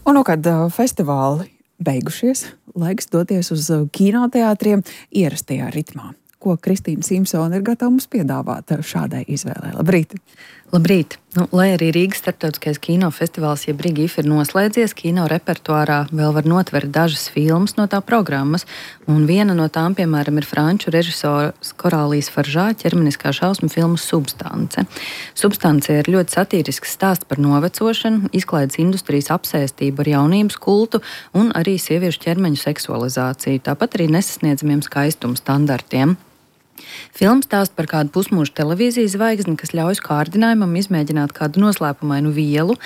Un, kad festivāli beigušies, laiks doties uz kinoteātriem ierastajā ritmā. Ko Kristīna Simpsone ir gatava mums piedāvāt šādai izvēlei? Labrīt! Labrīt! Lai arī Rīgas starptautiskais kinofestivāls jeb RIGIF ir noslēdzies, kino repertuārā vēl var notvert dažas filmas no tā programmas, un viena no tām, piemēram, ir franču režisora Korālijas Faržā ķermeniskā šausmu filma Substance. Substance ir ļoti satīrisks stāsts par novecošanu, izklaides industrijas apsēstību ar jaunības kultu un arī sieviešu ķermeņu seksualizāciju, tāpat arī nesasniedzamiem skaistuma standartiem. Filma stāsta par kādu pusmūža televīzijas zvaigzni, kas ļauj kārdinājumam izmēģināt kādu noslēpumainu vielu.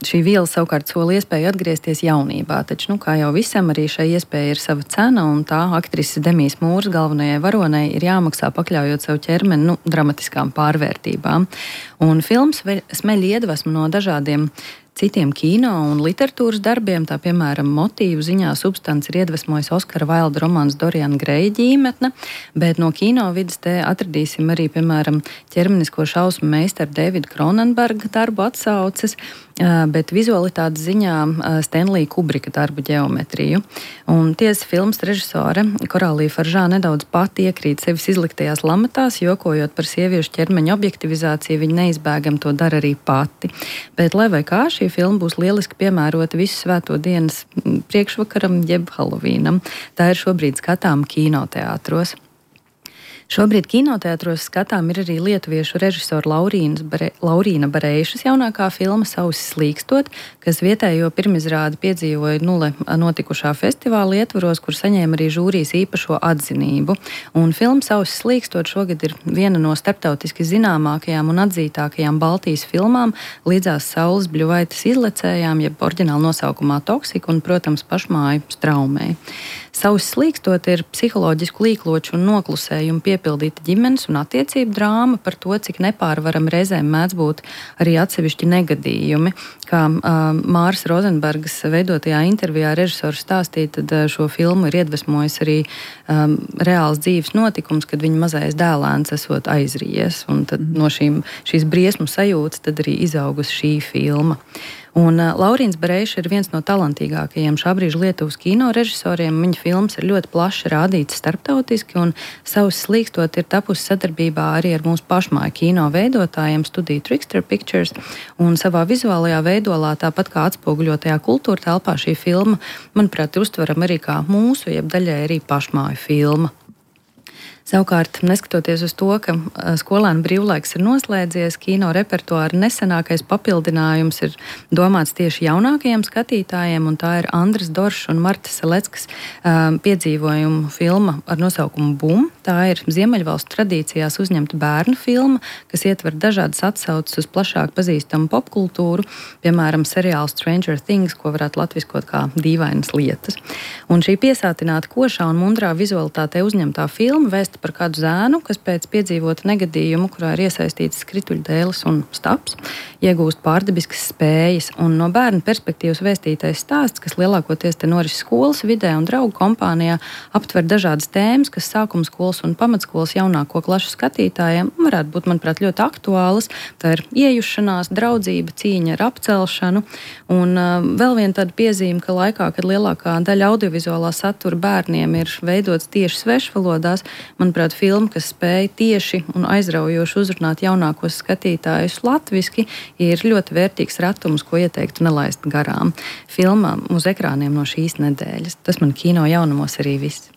Šī viela savukārt sola iespēju atgriezties jaunībā, taču, kā jau visam, arī šai iespēja ir sava cena, un tā aktrises Demijas Mūras galvenajai varonei ir jāmaksā pakļaujot savu ķermeni dramatiskām pārvērtībām. Un filmas smeļ iedvesmu no dažādiem citiem kino un literatūras darbiem, tā piemēram motīvu ziņā Substance ir iedvesmojis Oskara Vailda romāns Doriana Greja ģīmetne, bet no kino vidas te atradīsim arī, piemēram, ķermenisko šausmu meistaru Davida Cronenberga darbu atsauces, bet vizualitātes ziņā Stanlija Kubrika darbu ģeometriju. Un tiesa filmas režisore Korālija Faržā nedaudz pati iekrīt sevis izliktajās lamatās, jokojot par sieviešu ķermeņa objektivizāciju, viņa neizbēgam to dara arī pati. Bet lai vai kā, šī filma būs lieliski piemērota visu svēto dienas priekšvakaram jeb Halovīnam. Tā ir šobrīd skatām kinoteātros. Šobrīd kinoteātros skatām ir arī lietuviešu režisora Laurīna Bareišas jaunākā filma Sausis slīkstot, kas vietējo pirmizrādi piedzīvoja notikušā festivāla ietvaros, kur saņēma arī žūrijas īpašo atzinību. Un filma Sausis slīkstot šogad ir viena no starptautiski zināmākajām un atzītākajām Baltijas filmām līdzās Saules Bļuvaites izlecējām, jeb oriģināla nosaukumā Toksika un, protams, pašmāju Straumei. Sausis slīkstot ir psiholoģisku līkloču un noklusējumu piepildīta ģimenes un attiecību drāma par to, cik nepārvaram reizēm mēdz būt arī atsevišķi negadījumi. Kā Māras Rozenbergas veidotajā intervijā režisors stāstīja, tad šo filmu ir iedvesmojis arī reāls dzīves notikums, kad viņa mazais dēlēns esot aizrījies. Un tad no šīs briesmu sajūtas tad arī izaugusi šī filma. Un Laurīns Bareiša ir viens no talantīgākajiem šā brīža Lietuvas kino režisoriem. Viņa filmas ir ļoti plaši rādītas starptautiski, un Sausis slīkstot ir tapusi sadarbībā arī ar mūsu pašmāju kino veidotājiem studiju Trickster Pictures, un savā vizuālajā veidolā, tāpat kā atspoguļotajā kultūra telpā, šī filma, manuprāt, ir uztverama arī kā mūsu, jeb daļai arī pašmāju filma. Savukārt, neskatoties uz to, ka skolēnu brīvlaiks ir noslēdzies, kino repertuāra nesenākais papildinājums ir domāts tieši jaunākajiem skatītājiem, un tā ir Andras Doršs un Marta Seleckas piedzīvojumu filma ar nosaukumu Bum. Tā ir Ziemeļvalstu tradīcijās uzņemta bērnu filma, kas ietver dažādas atsauces uz plašāk pazīstamu popkultūru, piemēram, seriālu Stranger Things, ko varētu latviskot kā dīvainas lietas. Un šī piesātināta košā un mundrā vizualitātē uzņemtā filma vēsta par kādu zēnu, kas pēc piedzīvota negadījumu, kurā ir iesaistīts skrituļdēlis un staps, iegūst pārdabiskas spējas. Un no bērnu perspektīvas vēstītais stāsts, kas lielākoties te norises skolas vidē un draugu kompānijā, aptver dažādas tēmas, kas sākuma skolas un pamatskolas jaunāko klašu skatītājiem varētu būt, manuprāt, ļoti aktuālas. Tā ir iejušanās, draudzība, cīņa ar apcelšanu. Un vēl viena tāda piezīme, ka laikā, kad lielākā daļa audiovizuālā satura bērniem ir veidots tieši svešvalodās, manuprāt, filma, kas spēja tieši un aizraujoši uzrunāt jaunākos skatītājus latviski, ir ļoti vērtīgs ratums, ko ieteiktu nelaist garām. Filmām uz ekrāniem no šīs nedēļas. Tas man kino jaunumos arī viss.